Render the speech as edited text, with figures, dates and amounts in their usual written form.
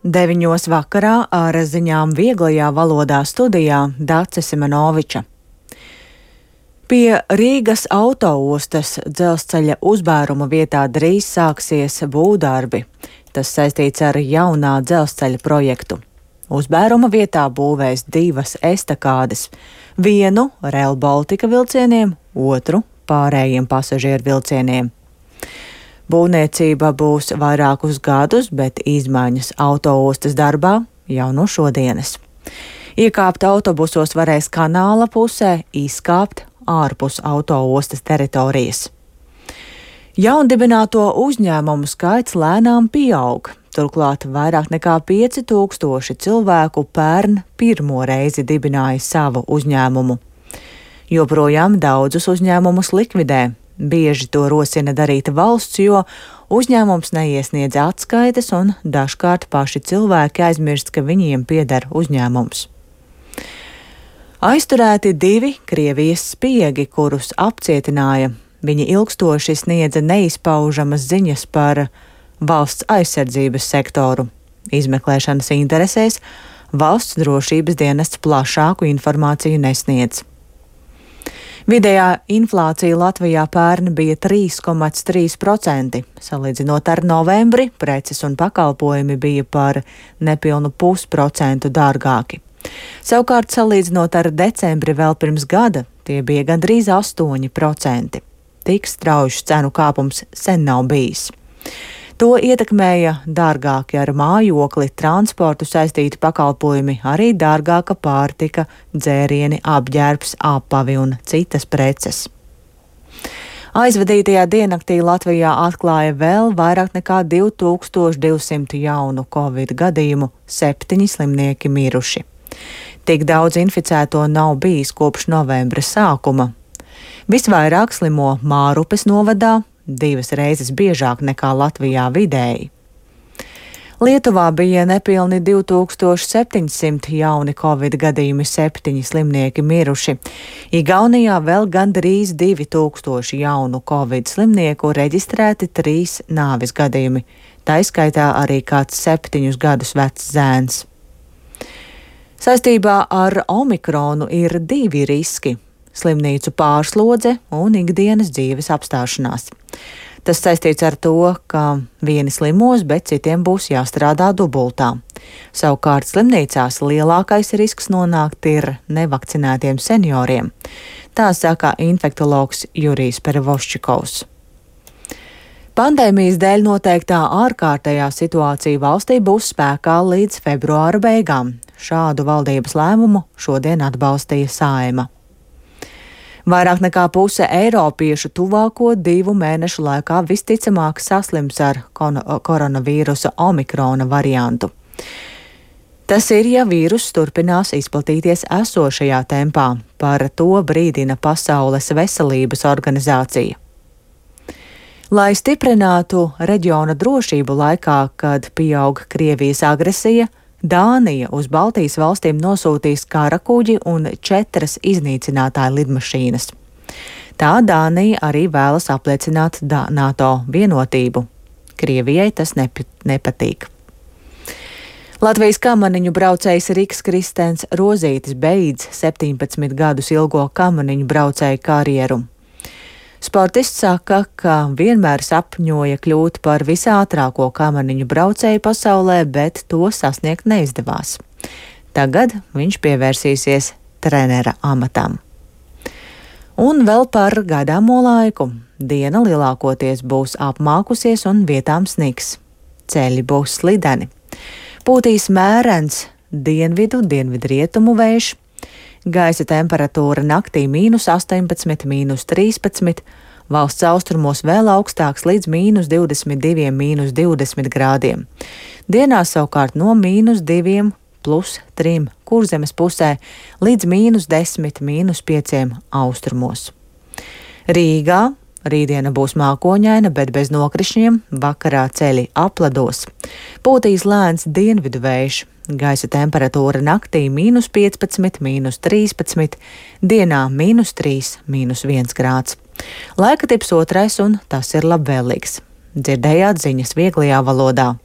9 vakarā ar ziņām vieglajā valodā studijā Dace Simenoviča. Pie Rīgas autoostas dzelzceļa uzbēruma vietā drīz sāksies būvdarbi. Tas saistīts ar jaunā dzelzceļa projektu. Uzbēruma vietā būvēs 2 estakādes, vienu Rail Baltica vilcieniem, otru pārējiem pasažieru vilcieniem. Būvniecība būs vairākus gadus, bet izmaiņas autoostas darbā jau no šodienas. Iekāpt autobusos varēs kanāla pusē, izkāpt ārpus autoostas teritorijas. Jaundibināto uzņēmumu skaits lēnām pieaug. Turklāt vairāk nekā 5000 cilvēku pērn pirmo reizi dibināja savu uzņēmumu. Joprojām daudzus uzņēmumus likvidē. Bieži to rosina darīt valsts, jo uzņēmums neiesniedz atskaites un dažkārt paši cilvēki aizmirst, ka viņiem pieder uzņēmums. Aizturēti 2 Krievijas spiegi, kurus apcietināja. Viņi ilgstoši sniedza neizpaužamas ziņas par valsts aizsardzības sektoru. Izmeklēšanas interesēs valsts drošības dienests plašāku informāciju nesniedz. Vidējā inflācija Latvijā pērn bija 3,3%. Salīdzinot ar novembri, preces un pakalpojumi bija par nepilnu 0,5% dārgāki. Savukārt, salīdzinot ar decembri vēl pirms gada, tie bija gandrīz 8%. Tik strauji cenu kāpums sen nav bijis. To ietekmēja dārgāki ar mājokli, transportu saistīti pakalpojumi, arī dārgāka pārtika, dzērieni, apģērbs, apavi un citas preces. Aizvadītajā diennaktī Latvijā atklāja vēl vairāk nekā 2200 jaunu covid gadījumu, 7 slimnieki miruši. Tik daudz inficēto nav bijis kopš novembra sākuma. Visvairāk slimo Mārupes novadā, 2 reizes biežāk nekā Latvijā vidēji. Lietuvā bija nepilni 2700 jauni covid gadījumi, 7 slimnieki miruši. Igaunijā vēl gandrīz 2000 jaunu covid slimnieku, reģistrēti 3 nāves gadījumi. Tā izskaitā arī kāds 7 gadus vecs zēns. Saistībā ar omikronu ir 2 riski - slimnīcu pārslodze un ikdienas dzīves apstāšanās. Tas saistīts ar to, ka vieni slimos, bet citiem būs jāstrādā dubultā. Savukārt slimnīcās lielākais risks nonākt ir nevakcinētiem senioriem. Tā saka infektologs Jurijs Perevoščikovs. Pandēmijas dēļ noteiktā ārkārtējā situācija valstī būs spēkā līdz februāra beigām. Šādu valdības lēmumu šodien atbalstīja Saeima. Vairāk nekā puse eiropiešu tuvāko 2 mēnešu laikā visticamāk saslims ar koronavīrusa omikrona variantu. Tas ir, ja vīruss turpinās izplatīties esošajā tempā, par to brīdina Pasaules veselības organizācija. Lai stiprinātu reģiona drošību laikā, kad pieaug Krievijas agresija, Dānija uz Baltijas valstīm nosūtīs karakuģi un 4 iznīcinātāju lidmašīnas. Tā Dānija arī vēlas apliecināt NATO vienotību. Krievijai tas nepatīk. Latvijas kamaniņu braucējs Riks Kristens Rozītis beidz 17 gadus ilgo kamaniņu braucēju karjeru. Sportists saka, ka vienmēr sapņoja kļūt par visātrāko kamaniņu braucēju pasaulē, bet to sasniegt neizdevās. Tagad viņš pievērsīsies trenera amatam. Un vēl par gaidāmo laiku. Diena lielākoties būs apmākusies un vietām sniks. Ceļi būs slideni. Pūtīs mērens dienvidu-dienvidrietumu vējš. Gaisa temperatūra naktī -18, -13, valsts austrumos vēl augstāks līdz -22, -20 grādiem. Dienā savukārt no -2 + 3 Kurzemes pusē līdz -10, -5 austrumos. Rīgā rītdiena būs mākoņaina, bet bez nokrišņiem, vakarā ceļi aplados. Pūtīs lēns dienvidu vējš. Gaisa temperatūra naktī -15, -13, dienā -3, -1 grāds. Laika tips 2 un tas ir labvēlīgs. Dzirdējāt ziņas vieglajā valodā.